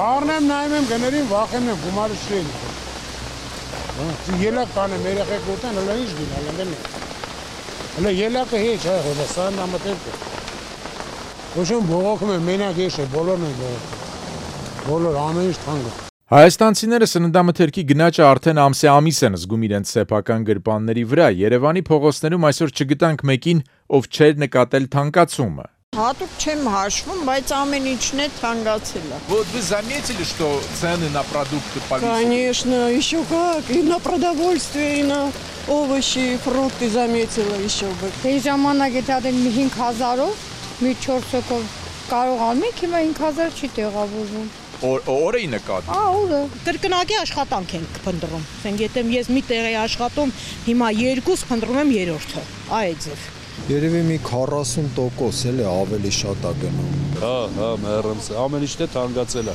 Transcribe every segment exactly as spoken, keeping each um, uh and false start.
Առնեմ նայում եմ գներին, վախենում եմ գումարը շրել։ Ելակ կանեմ երեխեք ուտեն, հələ ինչ գին, հələ դեմ։ Հələ ելակը հեչ այ հələ սան նամատերք։ Ոչմ բողոքում եմ մենակ ես է, բոլորն են բողոքում։ Բոլոր ամեն ինչ թանկ։ Հայաստանցիները սննդամթերքի գնաճը արդեն ամսե ամիս են զգում իրենց սեփական գրպանների վրա։ Երևանի փողոցներում այսօր չգտանք մեկին, ով չէր նկատել թանկացումը։ Հատուկ չեմ հաշվում, բայց ամեն ինչն է թանկացել։ Вот вы заметили, что цены на продукты повысились? Конечно, еще как. И на продовольствие, и на овощи, фрукты заметила еще бы. Դե ժամանակ է դադել մի հինգ հազարով, մի չորս հոգով կարողանում եք, հիմա հինգ հազար չի տեղավորվում։ Օրը ի նկատի։ Ա, օրը։ Կրկնակի աշխատանք ենք փնտրում։ Ասենք, եթե ես մի տեղ եմ աշխատում, հիմա երկուս փնտրում եմ երրորդը։ Այ ձև։ Երևի մի քառասուն տոկոս էլ է ավելի շատ է գնում։ Հա, հա, մեռնց, ամեն ինչն է թանկացել է։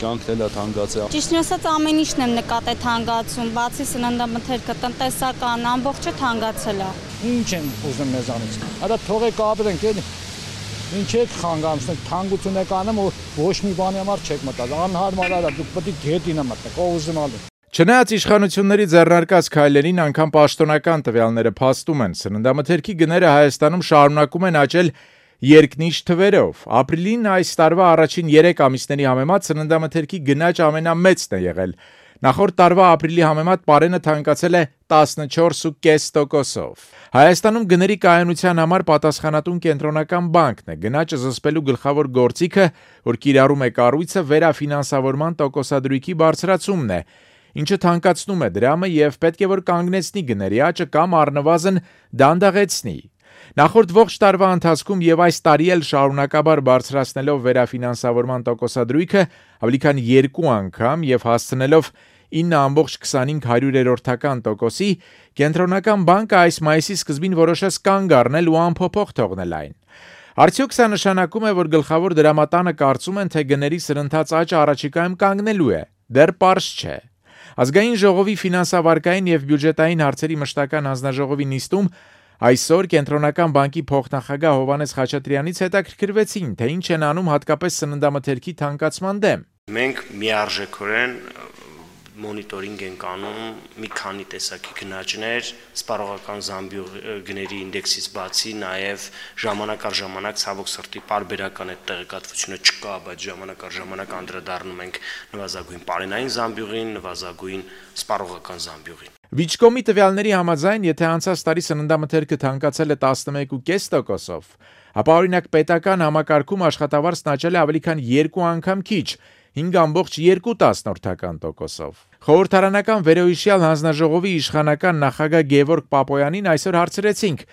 Կյանքն էլ է թանկացել։ Ճիշտն ասած ամեն ինչն եմ նկատել թանկացում, բացի սննդամթերքը, տնտեսական ամբողջը թանկացել է։ Ինչ են ուզում մեզանից։ Հələ թողեք ապրենք, էլի։ Ինչ եք խանգարում, թանկություն եք անում, ոչ մի բանի համար չեք մտած։ Անհարմար է, դուք պետք է գետինը մտնեք, ով ուզում ալու։ Չնայած իշխանությունների ձեռնարկած քայլերին անգամ պաշտոնական տվյալները փաստում են, սննդամթերքի գները Հայաստանում շարունակում են աճել երկնիշ թվերով։ Ապրիլին այս տարվա առաջին երեք ամիսների համեմատ սննդամթերքի գնաճ ամենամեծն է եղել։ Նախորդ տարվա ապրիլի համեմատ պարենը թանկացել է տասնչորս կόμμα պենս տոկոսով։ Հայաստանում գների կայունության համար պատասխանատուն կենտրոնական բանկն է։ Գնաճը զսպելու գլխավոր գործիքը, որ կիրառում է կառույցը, վերաֆինանսավորման տոկոսադրույքի բարձրացումն է, ինչը թանկացնում է դրամը եւ պետք է որ կանգնեցնի գների աճը կամ առնվազն դանդաղեցնի։ Նախորդ ողջ տարվա ընթացքում եւ այս տարի էլ շարունակաբար բարձրացնելով վերաֆինանսավորման տոկոսադրույքը ավելի քան երկու անգամ եւ հասցնելով ինը կόμμα քսանհինգ հարյուրերորդական տոկոսի, կենտրոնական բանկը այս մայիսի սկզբին որոշեց կանգ առնել ու անփոփոխ թողնել այն։ Արդյոք սա նշանակում է, որ գլխավոր դրամատանը կարծում են, թե գների սրընթաց աճը առաջիկայում կանգնելու է։ Դեռ պարզ չէ։ Ազգային ժողովի ֆինանսավարկային եւ բյուջետային հարցերի մշտական հանձնաժողովի նիստում այսօր կենտրոնական բանկի փոխնախագահ Հովհաննես Խաչատրյանից հետաքրքրվեցին, թե ինչ են անում հատկապես սննդամթերքի թանկացման դեմ։ Մենք միարժեքորեն մոնիտորինգ ենք անում մի քանի տեսակի գնաճներ, սպառողական զամբյուղների ինդեքսից բացի, նաև ժամանակ առ ժամանակ ցավոք սրտի պարբերական այդ տեղեկատվությունը չկա, բայց ժամանակ առ ժամանակ անդրադառնում ենք նվազագույն պարենային զամբյուղին, նվազագույն սպառողական զամբյուղին։ Վիճկոմի տվյալների համաձայն, եթե անցած տարի սննդամթերքը թանկացել է տասնմեկ կόμμα պենս տոկոսով, ապա օրինակ պետական համակարգում աշխատավարձն աճել է ավելի քան երկու անգամ քիչ, հինգ կόμμα երկու տոկոսով։ Խորհրդարանական վերոհիշյալ հանձնաժողովի իշխանական նախագահ Գևորգ Պապոյանին այսօր հարցրեցինք,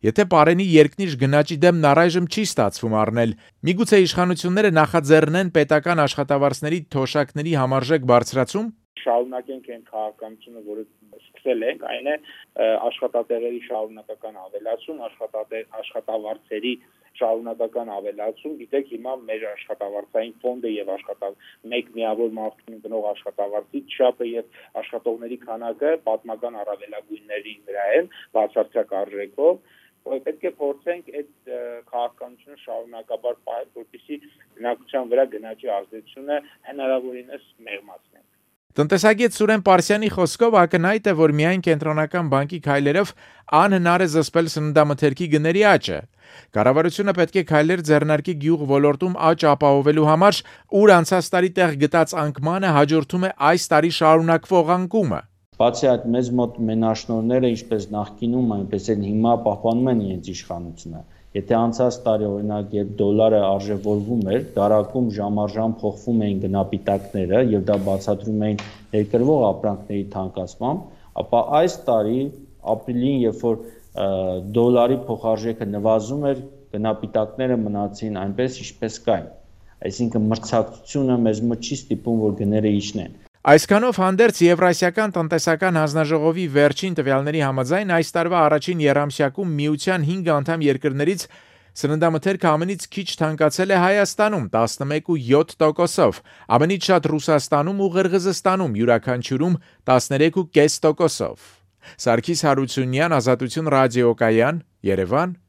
եթե պարենի երկնիշ գնաճի դեմ առայժմ չի ստացվում առնել, միգուցե իշխանությունները նախաձեռնեն պետական աշխատավարձների թոշակների համարժեք բարձրացում։ Շարունակենք այն քաղաքականությունը, որը սկսել ենք, այն է աշխատատեղերի շարունակական ավելացում, աշխատավարձերի շարունակական ավելացում, գիտեք հիմա մեր աշխատավարձային ֆոնդը եւ աշխատավ մեկ միավոր մարդուն գնող աշխատավարձի չափը եւ աշխատողների քանակը պատմական առավելագույնների վրա են բացարձակ արժեքով, պետք է փորձենք այդ քաղաքականությունը շարունակաբար պահել, որպեսզի բնակչության վրա գնաճի ազդեցությունը հնարավորինս մեղմացնենք։ Տնտեսագետ Սուրեն Պարսյանի խոսքով ակնհայտ է, որ միայն կենտրոնական բանկի քայլերով անհնար է զսպել սննդամթերքի գների աճը։ Կառավարությունը պետք է քայլեր ձեռնարկի գյուղ ոլորտում աճ ապահովելու համար, ուր անցած տարի տեղ գտած անկմանը հաջորդում է այս տարի շարունակվող անկումը։ Բացի այդ մեծ մոտ մենաշնորհները, ինչպես նախկինում, այնպես էլ հիմա պահպանում են իրենց իշխանությունը։ Եթե անցած տարի օրինակ երբ դոլարը արժևորվում էր, դարակում ժամ-առ-ժամ փոխվում էին գնապիտակները եւ դա բացատրում էին ներկրվող ապրանքների թանկացմամբ, ապա այս տարի ապրիլին, երբ որ դոլարի փոխարժեքը նվազում էր, գնապիտակները մնացին այնպես, ինչպես կային։ Այսինքն մրցակցությունը մեզ մոտ չի ստիպում, որ գները իջնեն։ Այսքանով հանդերձ Եվրասիական տնտեսական հանձնաժողովի վերջին տվյալների համաձայն այս տարվա առաջին եռամսյակում միության հինգ անդամ երկրներից սննդամթերքը ամենից քիչ թանկացել է Հայաստանում տասնմեկ կόμμα յոթ տոկոսով, ամենից շատ Ռուսաստանում ու Ղրղզստանում յուրաքանչյուրում տասներեք կόμma պենս տոկոսով։ Սարգիս Հարությունյան, Ազատություն ռադիոկայան, Երևան։